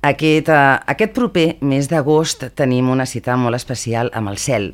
Aquest proper mes d'agost tenim una cita molt especial amb el cel.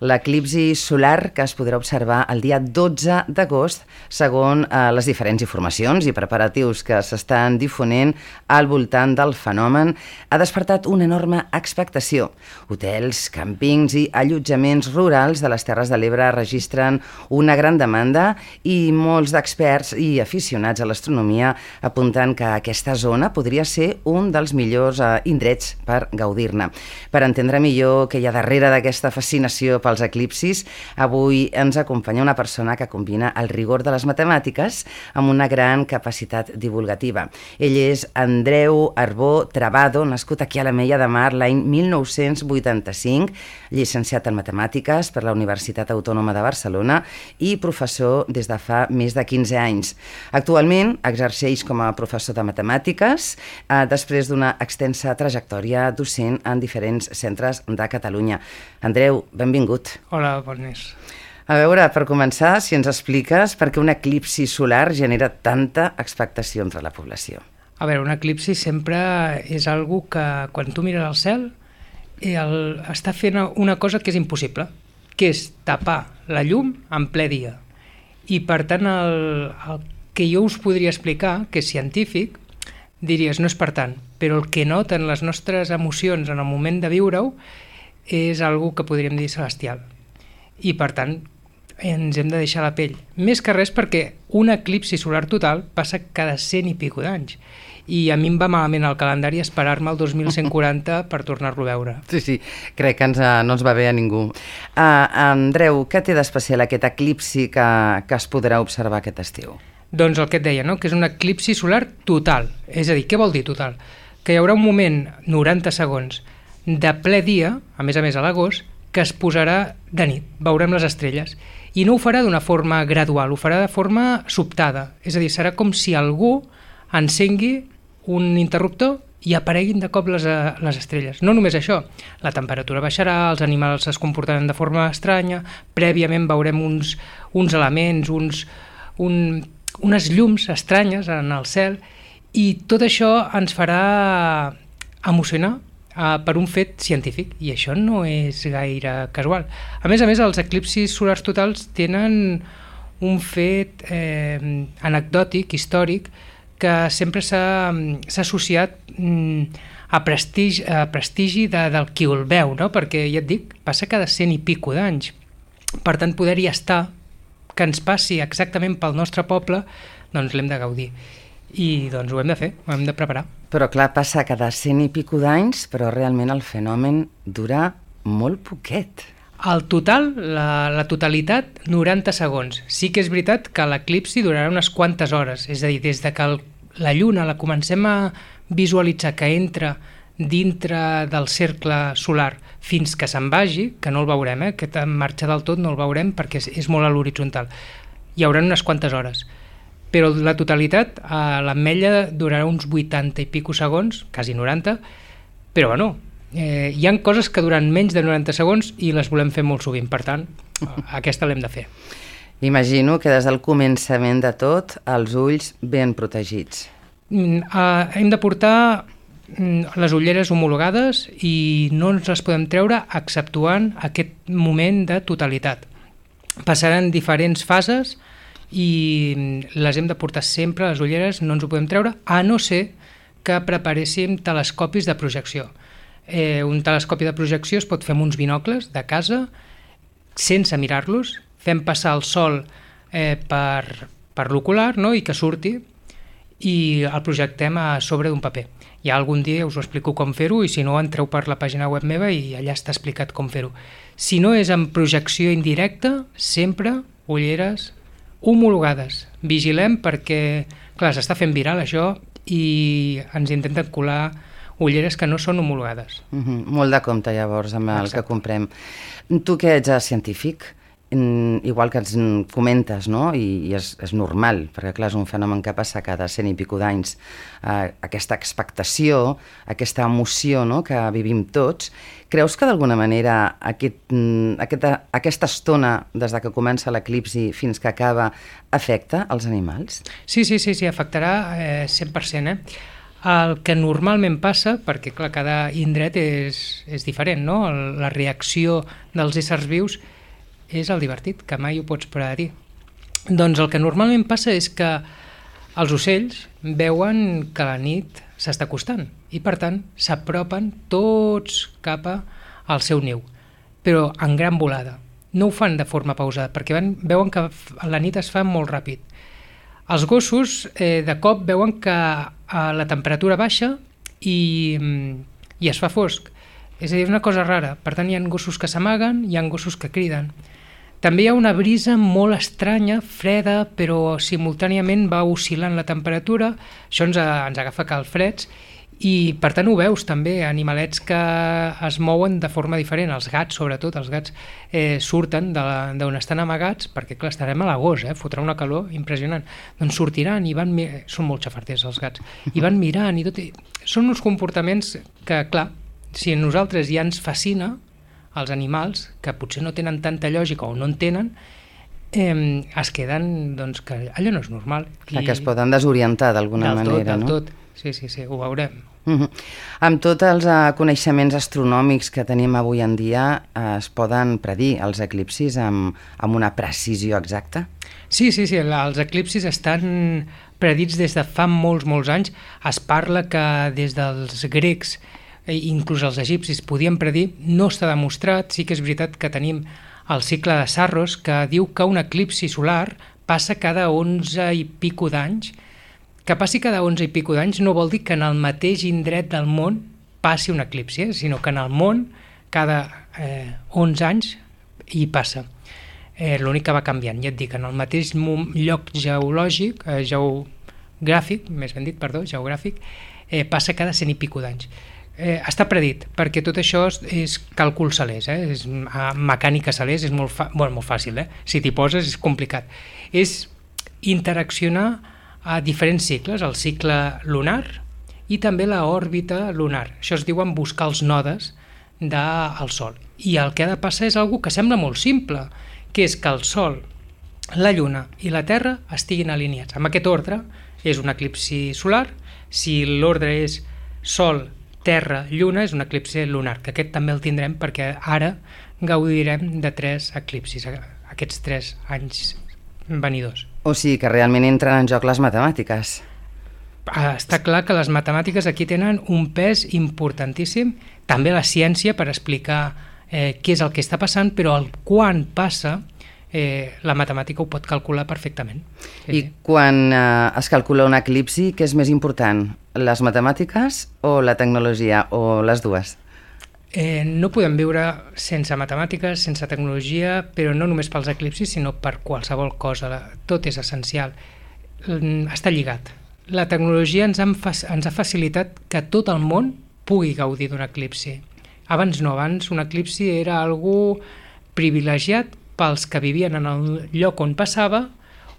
L'eclipsi solar que es podrà observar el dia 12 d'agost, segons les diferents informacions i preparatius que s'estan difonent al voltant del fenomen, ha despertat una enorme expectació. Hotels, càmpings i allotjaments rurals de les Terres de l'Ebre registren una gran demanda i molts d'experts i aficionats a l'astronomia apunten que aquesta zona podria ser un dels millors indrets per gaudir-ne. Per entendre millor què hi ha darrere d'aquesta fascinació pels eclipsis, avui ens acompanya una persona que combina el rigor de les matemàtiques amb una gran capacitat divulgativa. Ell és Andreu Arbó Travado, nascut aquí a l'Ametlla de Mar l'any 1985, llicenciat en matemàtiques per la Universitat Autònoma de Barcelona i professor des de fa més de 15 anys. Actualment exerceix com a professor de matemàtiques després d'una extensa trajectòria docent en diferents centres de Catalunya. Andreu, benvingut. Hola, bon mes. A veure, per començar, si ens expliques per què un eclipsi solar genera tanta expectació entre la població. A veure, un eclipsi sempre és algo que quan tu mires al cel està fent una cosa que és impossible, que és tapar la llum en ple dia. I per tant, el que jo us podria explicar, que és científic, diries, no és per tant, però el que noten les nostres emocions en el moment de viure-ho és algo que podríem dir celestial. I per tant, ens hem de deixar la pell. Més que res perquè un eclipsi solar total passa cada 100 i pico d'anys. I a mi em va malament el calendari esperar-me el 2140 per tornar-lo a veure. Sí, crec que no ens va bé a ningú. Andreu, què té d'especial aquest eclipsi que es podrà observar aquest estiu? Doncs el que et deia, no? Que és un eclipsi solar total. És a dir, què vol dir total? Que hi haurà un moment, 90 segons, de ple dia, a més a l'agost, que es posarà de nit, veurem les estrelles. I no ho farà d'una forma gradual, ho farà de forma sobtada. És a dir, serà com si algú encengui un interruptor i apareguin de cop les estrelles. No només això, la temperatura baixarà, els animals es comportaran de forma estranya, prèviament veurem uns elements, unes llums estranyes en el cel, i tot això ens farà emocionar per un fet científic, i això no és gaire casual. A més, els eclipsis solars totals tenen un fet anecdòtic, històric, que sempre s'ha associat a prestigi del qui el veu, no? Perquè, ja et dic, passa cada 100 i pico d'anys. Per tant, poder-hi estar, que ens passi exactament pel nostre poble, doncs l'hem de gaudir. I doncs ho hem de fer, ho hem de preparar. Però clar, passa cada 100 i pico d'anys, però realment el fenomen dura molt poquet. El total, la totalitat, 90 segons. Sí que és veritat que l'eclipsi durarà unes quantes hores, és a dir, des de que la lluna la comencem a visualitzar que entra dintre del cercle solar fins que se'n vagi, que no el veurem, aquest en marxa del tot no el veurem perquè és molt a l'horitzontal. Hi haurà unes quantes hores. Però la totalitat, l'ametlla durarà uns 80 i pico segons, quasi 90, però bueno, hi ha coses que duran menys de 90 segons i les volem fer molt sovint, per tant, aquesta l'hem de fer. Imagino que des del començament de tot, els ulls ben protegits. Hem de portar les ulleres homologades i no ens les podem treure exceptuant aquest moment de totalitat. Passaran diferents fases i les hem de portar sempre, les ulleres, no ens ho podem treure, a no ser que preparéssim telescopis de projecció. Un telescopi de projecció es pot fer amb uns binocles de casa, sense mirar-los, fem passar el sol per l'ocular, no? I que surti, i el projectem a sobre d'un paper. Ja algun dia us ho explico com fer-ho, i si no entreu per la pàgina web meva i allà està explicat com fer-ho. Si no és en projecció indirecta, sempre ulleres homologades. Vigilem perquè, clar, s'està fent viral això i ens intenten colar ulleres que no són homologades. Molt de compte, llavors, amb el que comprem. Tu que ets científic, igual que ens comentes, no? I és normal, perquè clar, és un fenomen que passa cada 100 i pico d'anys, aquesta expectació, aquesta emoció, no?, que vivim tots. Creus que d'alguna manera aquesta estona, des que comença l'eclipsi fins que acaba, afecta els animals? Sí, afectarà 100%. El que normalment passa, perquè clar, cada indret és diferent, no? La reacció dels éssers vius és el divertit, que mai ho pots predir. Doncs el que normalment passa és que els ocells veuen que la nit s'està acostant i per tant s'apropen tots cap al seu niu, però en gran volada. No ho fan de forma pausada perquè veuen que la nit es fa molt ràpid. Els gossos de cop veuen que la temperatura baixa i es fa fosc. És a dir, és una cosa rara. Per tant, hi ha gossos que s'amaguen, hi ha gossos que criden. També hi ha una brisa molt estranya, freda, però simultàniament va oscil·lant la temperatura. Això ens agafa calfreds i, per tant, ho veus també, animalets que es mouen de forma diferent. Els gats, sobretot, els gats surten d'on estan amagats, perquè, clar, estarem a l'agost, fotrà una calor impressionant. Doncs sortiran i van... Són molt xafarders, els gats. I van mirant i tot... Són uns comportaments que, clar, si a nosaltres ja ens fascina, els animals, que potser no tenen tanta lògica o no en tenen, es queden, doncs, que allò no és normal. Clar, que es poden desorientar d'alguna manera, no? Del tot. Sí, ho veurem. Amb tots els coneixements astronòmics que tenim avui en dia, es poden predir els eclipsis amb una precisió exacta? Sí, els eclipsis estan predits des de fa molts anys. Es parla que des dels grecs, inclús els egipcis, podien predir. No està demostrat. Sí que és veritat que tenim el cicle de Saros, que diu que un eclipsi solar passa cada 11 i pico d'anys. Que passi cada 11 i pico d'anys no vol dir que en el mateix indret del món passi un eclipsi, sinó que en el món cada 11 anys hi passa. L'únic que va canviant, ja et dic, en el mateix lloc geogràfic, geogràfic, passa cada 100 i pico d'anys. Està predit, perquè tot això és càlcul celest, és mecànica celest, és molt fàcil, si t'hi poses és complicat. És interaccionar a diferents cicles, el cicle lunar i també l'òrbita lunar. Això es diuen buscar els nodes del Sol. I el que ha de passar és algo que sembla molt simple, que és que el Sol, la Lluna i la Terra estiguin alineats. Amb aquest ordre és un eclipsi solar. Si l'ordre és Sol, Terra, Lluna, és un eclipsi lunar, que aquest també el tindrem perquè ara gaudirem de 3 eclipsis, aquests 3 anys venidors. O sigui que realment entren en joc les matemàtiques. Està clar que les matemàtiques aquí tenen un pes importantíssim, també la ciència per explicar què és el que està passant, però el quan passa la matemàtica ho pot calcular perfectament. I quan es calcula un eclipsi, què és més important? Les matemàtiques o la tecnologia, o les dues? No podem viure sense matemàtiques, sense tecnologia, però no només pels eclipsis, sinó per qualsevol cosa. Tot és essencial. Està lligat. La tecnologia ens ha facilitat que tot el món pugui gaudir d'un eclipsi. Abans un eclipsi era algo privilegiat pels que vivien en el lloc on passava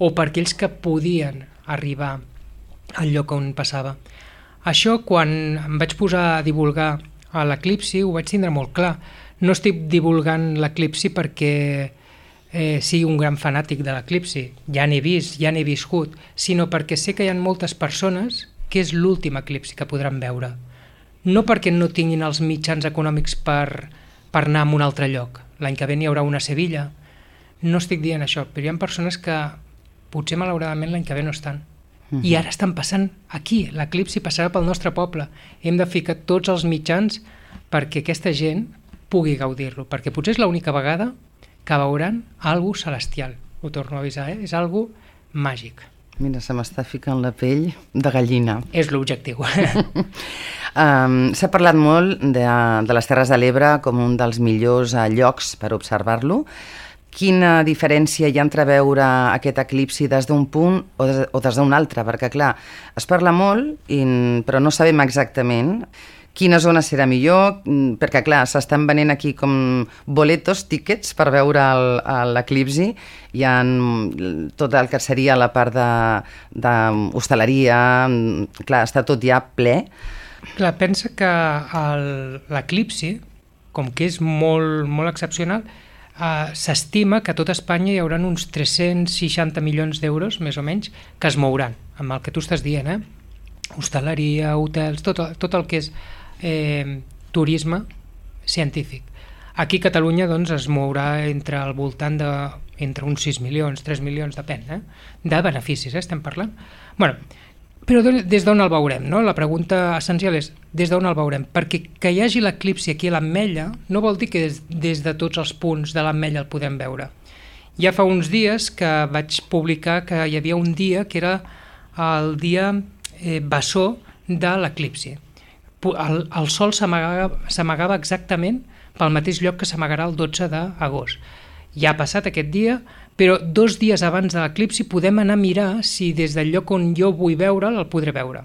o per aquells que podien arribar al lloc on passava. Això, quan em vaig posar a divulgar a l'eclipsi, ho vaig tindre molt clar. No estic divulgant l'eclipsi perquè sigui un gran fanàtic de l'eclipsi, ja n'he vist, ja n'he viscut, sinó perquè sé que hi ha moltes persones que és l'últim eclipsi que podran veure. No perquè no tinguin els mitjans econòmics per anar a un altre lloc. L'any que ve n'hi haurà una a Sevilla. No estic dient això, però hi ha persones que potser malauradament l'any que ve no estan. I ara estan passant aquí, l'eclipsi passarà pel nostre poble. Hem de ficar tots els mitjans perquè aquesta gent pugui gaudir-lo, perquè potser és l'única vegada que veuran alguna celestial. Ho torno a avisar, és algo màgic. Mira, se m'està ficant la pell de gallina. És l'objectiu. S'ha parlat molt de les Terres de l'Ebre com un dels millors llocs per observar-lo. Quina diferència hi ha entre veure aquest eclipsi des d'un punt o des d'un altre? Perquè, clar, es parla molt, però no sabem exactament quina zona serà millor, perquè, clar, s'estan venent aquí com boletos, tíquets, per veure l'eclipsi. Hi ha tot el que seria la part d'hostaleria, clar, està tot ja ple. Clar, pensa que l'eclipsi, com que és molt excepcional, s'estima que a tot Espanya hi haurà uns 360 milions d'euros, més o menys, que es mouran, amb el que tu estàs dient, hostaleria, hotels, tot el que és turisme científic. Aquí a Catalunya doncs, es mourà entre al voltant entre uns 6 milions, 3 milions, depèn, de beneficis, estem parlant. Bueno, però des d'on el veurem? No? La pregunta essencial és des d'on el veurem? Perquè que hi hagi l'eclipsi aquí a l'Ametlla no vol dir que des de tots els punts de l'Ametlla el podem veure. Ja fa uns dies que vaig publicar que hi havia un dia que era el dia bessó de l'eclipsi. El sol s'amagava exactament pel mateix lloc que s'amagarà el 12 d'agost. Ja ha passat aquest dia, però 2 dies abans de l'eclipsi podem anar a mirar si des del lloc on jo vull veure'l el podré veure.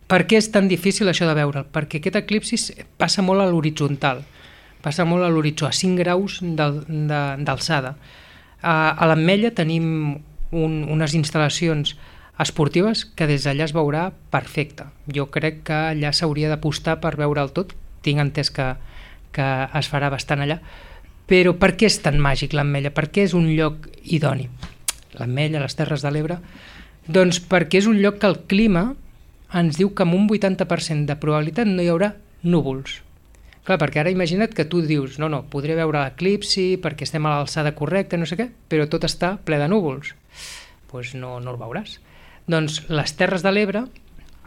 Per què és tan difícil això de veure'l? Perquè aquest eclipsi passa molt a l'horitzontal, passa molt a l'horitzó, a 5 graus d'alçada. A l'Ametlla tenim unes instal·lacions esportives que des d'allà es veurà perfecte. Jo crec que allà s'hauria d'apostar per veure'l tot, tinc entès que es farà bastant allà. Però per què és tan màgic l'Ametlla? Per què és un lloc idoni? L'Ametlla, les Terres de l'Ebre? Doncs perquè és un lloc que el clima ens diu que amb un 80% de probabilitat no hi haurà núvols. Clar, perquè ara imagina't que tu dius no, podré veure l'eclipsi perquè estem a l'alçada correcta, no sé què, però tot està ple de núvols. Doncs no el veuràs. Doncs les Terres de l'Ebre,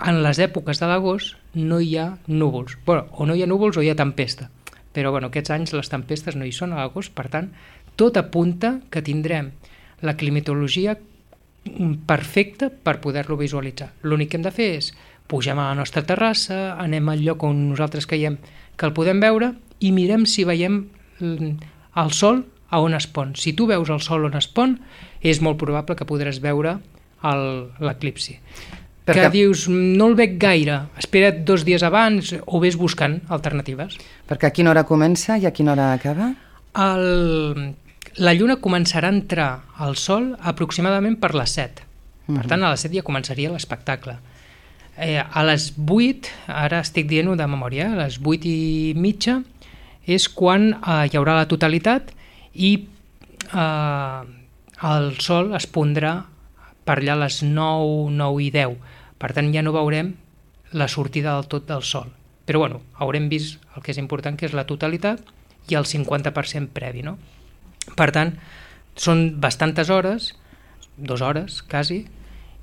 en les èpoques de l'agost, no hi ha núvols. Bueno, o no hi ha núvols o hi ha tempesta. Però aquests anys les tempestes no hi són a l'agost, per tant, tot apunta que tindrem la climatologia perfecta per poder-lo visualitzar. L'únic que hem de fer és pugem a la nostra terrassa, anem al lloc on nosaltres creiem que el podem veure i mirem si veiem el sol a on es pon. Si tu veus el sol on es pon, és molt probable que podràs veure l'eclipsi. Que dius, no el veig gaire, espera't 2 dies abans o vés buscant alternatives. Perquè a quina hora comença i a quina hora acaba? La lluna començarà a entrar al sol aproximadament per les 7. Per tant, a les 7 ja començaria l'espectacle. A les 8, ara estic dient-ho de memòria, a les 8:30 és quan hi haurà la totalitat i el sol es pondrà per allà a les 9, 9:10. Per tant, ja no veurem la sortida del tot del sol. Però haurem vist el que és important, que és la totalitat i el 50% previ. No? Per tant, són bastantes hores, 2 hores quasi,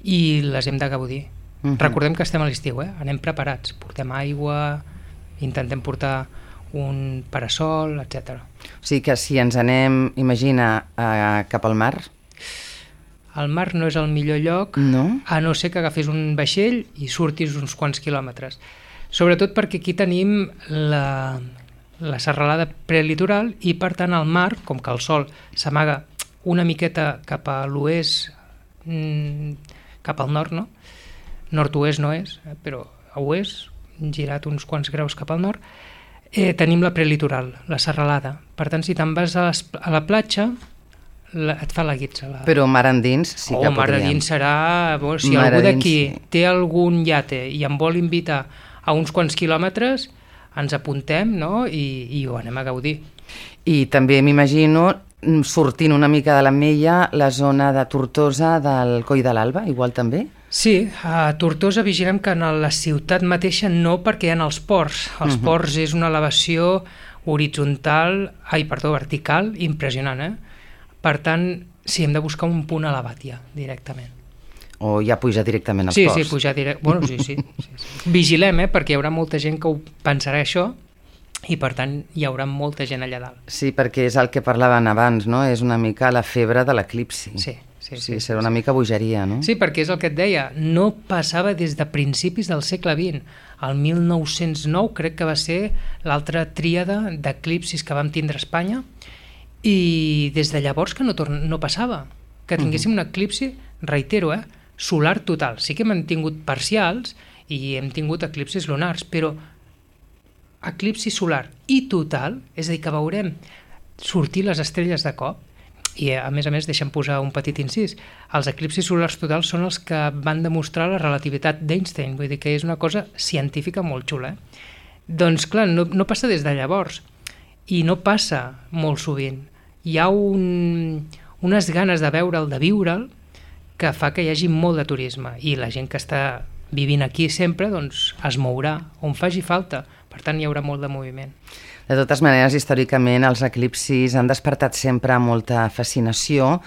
i les hem de gaudir. Recordem que estem a l'estiu, anem preparats, portem aigua, intentem portar un parasol, etc. O sigui que si ens anem, imagina, cap al mar... El mar no és el millor lloc, a no ser que agafis un vaixell i surtis uns quants quilòmetres. Sobretot perquè aquí tenim la serralada prelitoral i, per tant, el mar, com que el sol s'amaga una miqueta cap a l'oest, cap al nord, no? Nord-oest no és, però a oest, girat uns quants graus cap al nord, tenim la prelitoral, la serralada. Per tant, si te'n vas a la platja, et fa la guitza. Però mar endins sí que podríem. Mar endins serà... Si algú d'aquí té algun iate i em vol invitar a uns quants quilòmetres, ens apuntem, no? I ho anem a gaudir. I també m'imagino sortint una mica de l'Ametlla la zona de Tortosa del Coll de l'Alba, igual també? Sí, a Tortosa vigilem que en la ciutat mateixa no, perquè hi ha els ports. Els ports és una elevació vertical impressionant, Per tant, sí, hem de buscar un punt elevat ja, directament. O ja pujar directament als ports? Sí, pujar directament. Sí. Vigilem, perquè hi haurà molta gent que ho pensarà això i, per tant, hi haurà molta gent allà dalt. Sí, perquè és el que parlaven abans, no? És una mica la febre de l'eclipsi. Sí. Serà una mica bogeria, no? Sí, perquè és el que et deia, no passava des de principis del segle XX. El 1909 crec que va ser l'altra tríada d'eclipsis que vam tindre a Espanya, i des de llavors que no passava, que tinguéssim un eclipsi, reitero, solar total. Sí que hem tingut parcials i hem tingut eclipsis lunars, però eclipsi solar i total, és a dir, que veurem sortir les estrelles de cop, i a més, deixem posar un petit incís, els eclipsis solars totals són els que van demostrar la relativitat d'Einstein, vull dir que és una cosa científica molt xula. Doncs clar, no passa des de llavors, i no passa molt sovint. Hi ha unes ganes de veure'l, de viure'l, que fa que hi hagi molt de turisme, i la gent que està vivint aquí sempre, doncs es mourà on faci falta. Per tant, hi haurà molt de moviment. De totes maneres, històricament, els eclipsis han despertat sempre molta fascinació,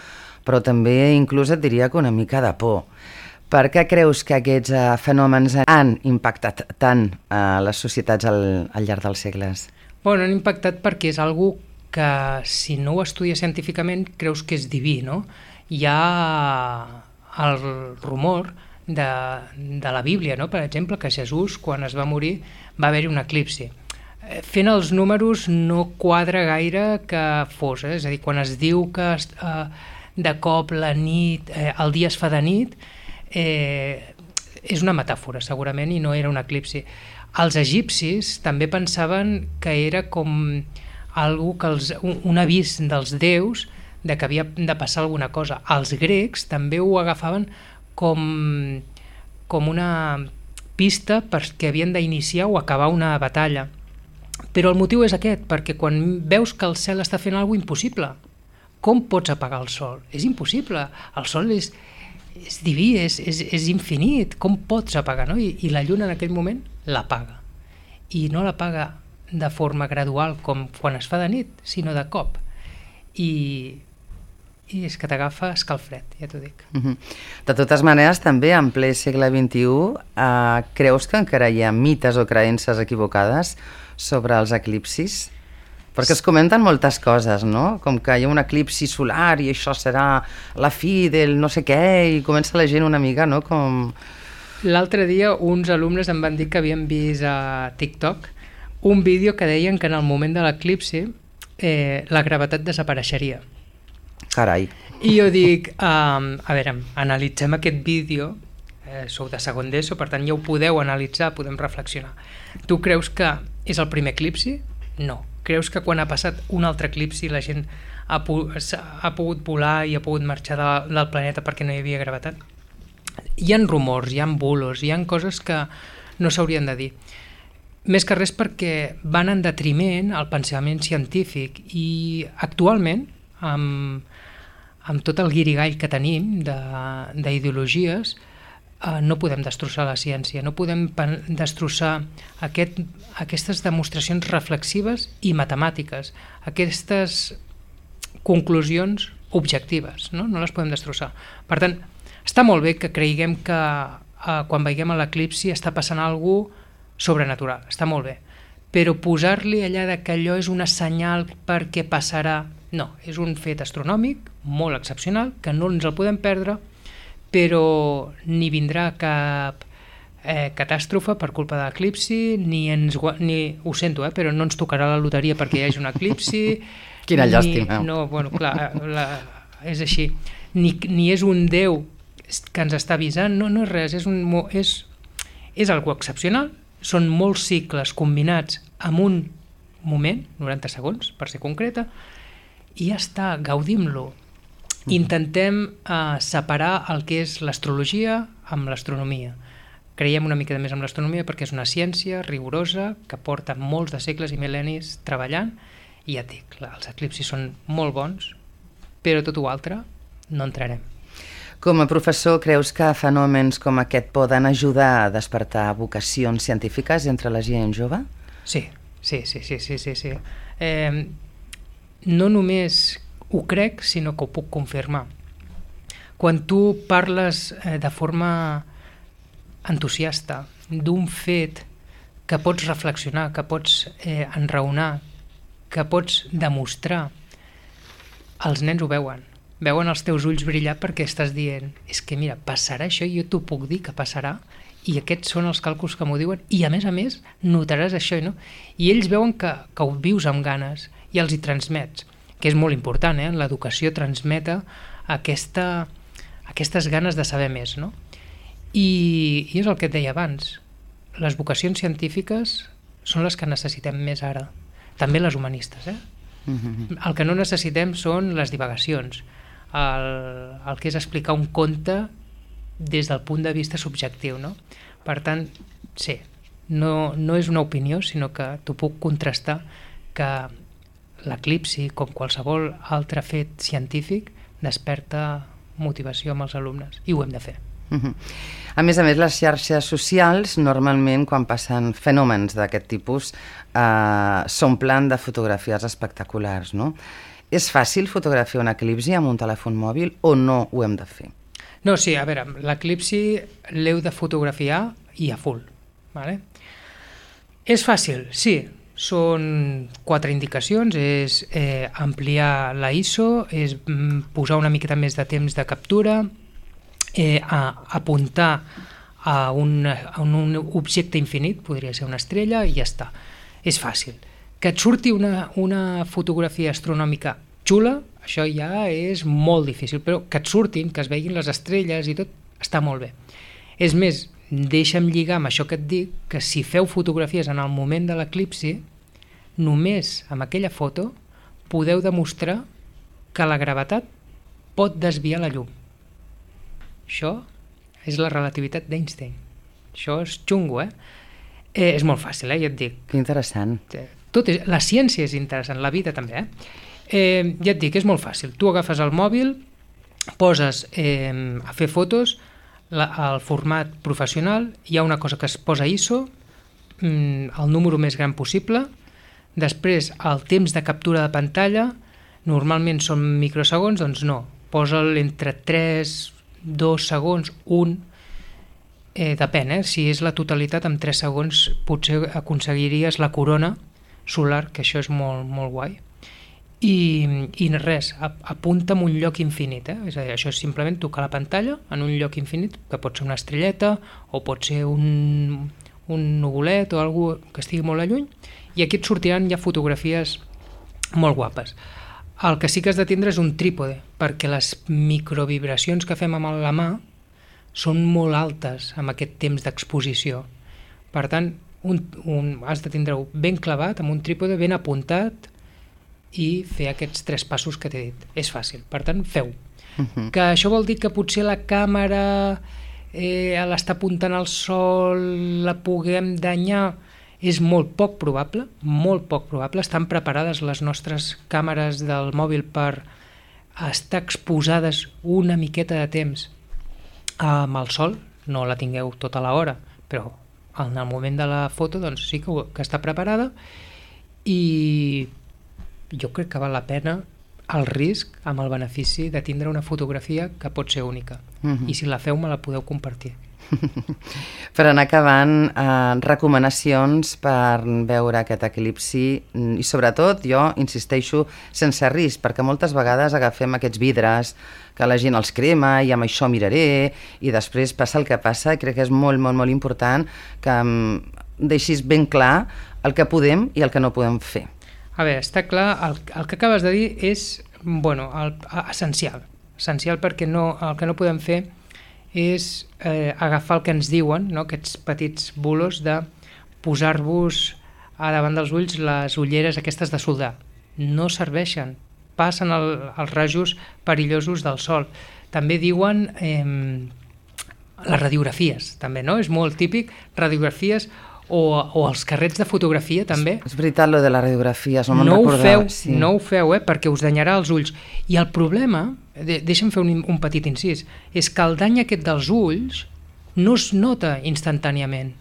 però també inclús et diria que una mica de por. Per què creus que aquests fenòmens han impactat tant a les societats al llarg dels segles? Bueno, han impactat perquè és algo que, si no ho estudies científicament, creus que és diví, no? Hi ha el rumor de la Bíblia, no? Per exemple, que Jesús, quan es va morir, va haver-hi un eclipsi. Fent els números no quadra gaire que fos, és a dir, quan es diu que de cop la nit, el dia es fa de nit, és una metàfora segurament i no era un eclipsi. Els egipcis també pensaven que era com algo que un avís dels déus de que havia de passar alguna cosa. Els grecs també ho agafaven com una pista perquè havien d'iniciar o acabar una batalla. Però el motiu és aquest, perquè quan veus que el cel està fent alguna cosa impossible, com pots apagar el sol? És impossible, el sol és diví, és infinit, com pots apagar, no? I la lluna en aquell moment l'apaga. I no l'apaga de forma gradual com quan es fa de nit, sinó de cop. I és que t'agafa escalfred, ja t'ho dic. De totes maneres, també en ple segle XXI, creus que encara hi ha mites o creences equivocades sobre els eclipsis? Perquè es comenten moltes coses, no? Com que hi ha un eclipsi solar i això serà la fi del no sé què, i comença la gent una mica, no? L'altre dia uns alumnes em van dir que havien vist a TikTok un vídeo que deien que en el moment de l'eclipsi la gravetat desapareixeria. Carai. I jo dic, a veure, analitzem aquest vídeo, sou de segon d'ESO, per tant ja ho podeu analitzar, podem reflexionar. Tu creus que és el primer eclipsi? No. Creus que quan ha passat un altre eclipsi la gent ha pogut volar i ha pogut marxar del planeta perquè no hi havia gravetat? Hi ha rumors, hi ha bulos, hi ha coses que no s'haurien de dir. Més que res perquè van en detriment al pensament científic i actualment, amb tot el guirigall que tenim d'ideologies, no podem destrossar la ciència, no podem destrossar aquestes demostracions reflexives i matemàtiques, aquestes conclusions objectives, no les podem destrossar. Per tant, està molt bé que creguem que quan veiem l'eclipsi està passant alguna cosa sobrenatural, està molt bé, però posar-li allà que allò és una senyal perquè passarà, no, és un fet astronòmic molt excepcional, que no ens el podem perdre, però ni vindrà cap catàstrofe per culpa de l'eclipsi, ni ho sento, però no ens tocarà la loteria perquè hi hagi un eclipsi. Quina llàstima. No, bueno, clar, és així. Ni és un déu que ens està avisant, no és res, és algo excepcional, són molts cicles combinats en un moment, 90 segons, per ser concreta, i ja està, gaudim-lo. Intentem separar el que és l'astrologia amb l'astronomia. Creiem una mica més en l'astronomia perquè és una ciència rigorosa que porta molts de segles i mil·lennis treballant, i ja dic, els eclipsis són molt bons, però tot ho altre no entrarem. Com a professor, creus que fenòmens com aquest poden ajudar a despertar vocacions científiques entre la gent jove? Sí. No només ho crec, sinó que ho puc confirmar. Quan tu parles de forma entusiasta d'un fet que pots reflexionar, que pots enraonar, que pots demostrar, els nens ho veuen els teus ulls brillar perquè estàs dient, és que mira, passarà això, jo t'ho puc dir que passarà, i aquests són els càlculs que m'ho diuen, i a més notaràs això, no? I ells veuen que ho vius amb ganes i els hi transmets, que és molt important, l'educació transmeta aquestes ganes de saber més, no? I és el que et deia abans, les vocacions científiques són les que necessitem més ara, també les humanistes, El que no necessitem són les divagacions, el que és explicar un conte des del punt de vista subjectiu, no? Per tant, sí, no és una opinió, sinó que t'ho puc contrastar que l'eclipsi, com qualsevol altre fet científic, desperta motivació amb els alumnes, i ho hem de fer. A més, les xarxes socials, normalment, quan passen fenòmens d'aquest tipus, s'omplen de fotografies espectaculars, no? És fàcil fotografiar un eclipsi amb un telèfon mòbil o no ho hem de fer? No, sí, a veure, l'eclipsi l'heu de fotografiar i a full, vale? És fàcil, sí. Són 4 indicacions, és ampliar la ISO, és posar una miqueta més de temps de captura, apuntar a un objecte infinit, podria ser una estrella, i ja està. És fàcil. Que et surti una fotografia astronòmica xula, això ja és molt difícil, però que et surtin, que es veguin les estrelles i tot, està molt bé. És més, deixa'm lligar amb això que et dic, que si feu fotografies en el moment de l'eclipsi, només amb aquella foto podeu demostrar que la gravetat pot desviar la llum. Això és la relativitat d'Einstein. Això és xungo, és molt fàcil, ja et dic. Que interessant. La ciència és interessant, la vida també, ja et dic, és molt fàcil. Tu agafes el mòbil, poses a fer fotos, al format professional, hi ha una cosa que es posa ISO, el número més gran possible, després el temps de captura de pantalla, normalment són microsegons, doncs no, posa'l entre 3, 2 segons, 1, depèn, si és la totalitat, en 3 segons potser aconseguiries la corona solar, que això és molt, molt guai. I res, apunta en un lloc infinit, és a dir, això és simplement tocar la pantalla en un lloc infinit, que pot ser una estrelleta o pot ser un nuvolet o alguna cosa que estigui molt a lluny, i aquí et sortiran ja fotografies molt guapes. El que sí que has de tindre és un trípode, perquè les microvibracions que fem amb la mà són molt altes amb aquest temps d'exposició. Per tant, has de tindre-ho ben clavat, amb un trípode ben apuntat, i fer aquests 3 passos que t'he dit. És fàcil, per tant, feu. Que això vol dir que potser la càmera l'està apuntant al sol, la puguem danyar, és molt poc probable, molt poc probable. Estan preparades les nostres càmeres del mòbil per estar exposades una miqueta de temps amb el sol, no la tingueu tota l'hora, però en el moment de la foto doncs sí que està preparada, i jo crec que val la pena el risc amb el benefici de tindre una fotografia que pot ser única. I si la feu me la podeu compartir. Per anar acabant, recomanacions per veure aquest eclipsi, i sobretot jo insisteixo sense risc, perquè moltes vegades agafem aquests vidres que la gent els crema i amb això miraré, i després passa el que passa, i crec que és molt, molt, molt important que deixis ben clar el que podem i el que no podem fer. A veure, està clar, el que acabes de dir és essencial, perquè el que no podem fer és agafar el que ens diuen, aquests petits bulos de posar-vos a davant dels ulls les ulleres aquestes de soldar. No serveixen, passen els rajos perillosos del sol. També diuen les radiografies, també, no? És molt típic, radiografies o els carrets de fotografia també. És veritat, lo de les radiografies, no ho feu, perquè us danyarà els ulls. I el problema, deixa'm fer un petit incís, és que el dany aquest dels ulls no es nota instantàniament,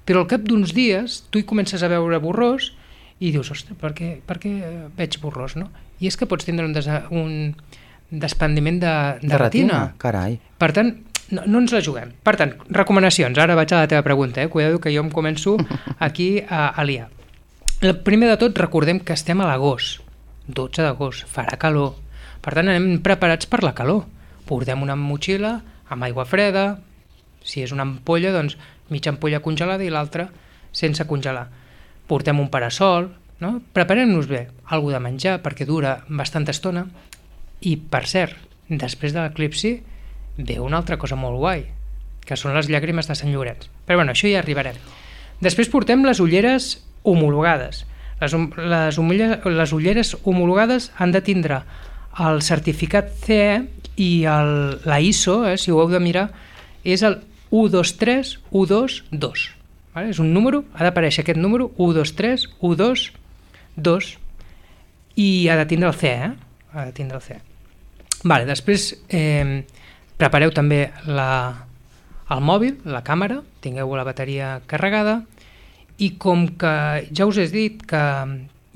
però al cap d'uns dies tu hi comences a veure borrós i dius, ostres, per què veig borrós, no? I és que pots tindre un desprendiment de retina. Carai. Per tant, no ens la juguem. Per tant, recomanacions. Ara vaig a la teva pregunta, cuidado que jo em començo aquí a liar. Primer de tot, recordem que estem a l'agost, 12 d'agost, farà calor. Per tant, anem preparats per la calor. Portem una motxilla amb aigua freda, si és una ampolla, doncs mitja ampolla congelada i l'altra sense congelar. Portem un parasol, no? Preparem-nos bé, alguna de menjar perquè dura bastanta estona, i per cert, després de l'eclipsi ve una altra cosa molt guai, que són les llàgrimes de Sant Llorenç. Però bueno, això ja arribarem. Després portem les ulleres homologades. Les ulleres homologades han de tindre el certificat CE i la ISO, si ho heu de mirar, és el 123122. Vale? És un número, ha d'aparèixer aquest número, 123122, i ha de tindre el CE. Vale, després prepareu també el mòbil, la càmera, tingueu la bateria carregada, i com que ja us he dit que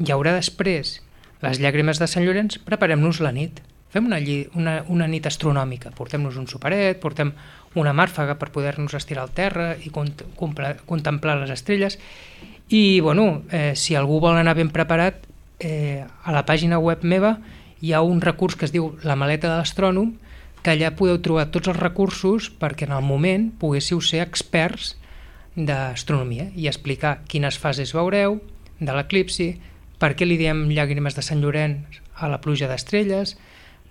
hi haurà després les llàgrimes de Sant Llorenç, preparem-nos la nit. Fem una nit astronòmica, portem-nos un superet, portem una màrfaga per poder-nos estirar al terra i contemplar les estrelles. I, bueno, si algú vol anar ben preparat, a la pàgina web meva hi ha un recurs que es diu La maleta de l'astrònom, que allà podeu trobar tots els recursos perquè en el moment poguéssiu ser experts d'astronomia i explicar quines fases veureu de l'eclipsi, per què li diem llàgrimes de Sant Llorenç a la pluja d'estrelles,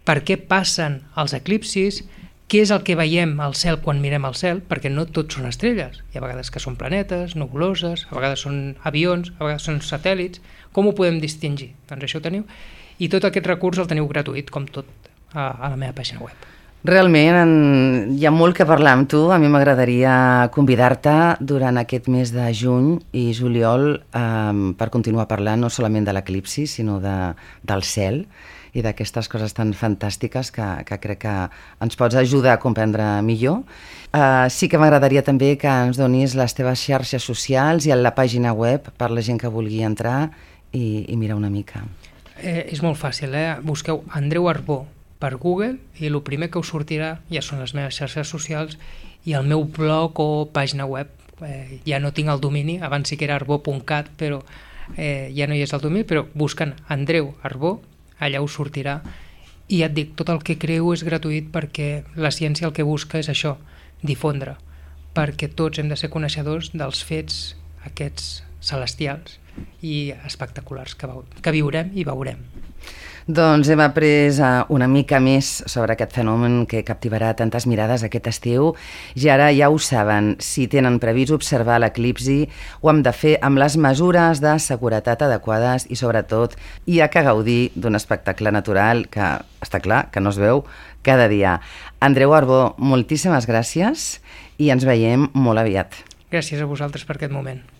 per què passen els eclipsis, què és el que veiem al cel quan mirem al cel, perquè no tots són estrelles. Hi ha vegades que són planetes, nebuloses, a vegades són avions, a vegades són satèl·lits. Com ho podem distingir? Doncs això ho teniu. I tot aquest recurs el teniu gratuït, com tot, a la meva pàgina web. Realment hi ha molt que parlar amb tu. A mi m'agradaria convidar-te durant aquest mes de juny i juliol per continuar parlant no solament de l'eclipsi, sinó del cel i d'aquestes coses tan fantàstiques que crec que ens pots ajudar a comprendre millor. Sí que m'agradaria també que ens donis les teves xarxes socials i la pàgina web per la gent que vulgui entrar i mirar una mica. És molt fàcil, busqueu Andreu Arbó per Google i el primer que us sortirà ja són les meves xarxes socials i el meu blog o pàgina web. Ja no tinc el domini, abans sí que era arbó.cat, però ja no hi és el domini, però buscant Andreu Arbó, allà us sortirà. I ja et dic, tot el que creu és gratuït perquè la ciència el que busca és això, difondre, perquè tots hem de ser coneixedors dels fets aquests celestials i espectaculars que viurem i veurem. Doncs hem après una mica més sobre aquest fenomen que captivarà tantes mirades aquest estiu i ara ja ho saben, si tenen previst observar l'eclipsi ho hem de fer amb les mesures de seguretat adequades i sobretot hi ha que gaudir d'un espectacle natural que està clar que no es veu cada dia. Andreu Arbó, moltíssimes gràcies i ens veiem molt aviat. Gràcies a vosaltres per aquest moment.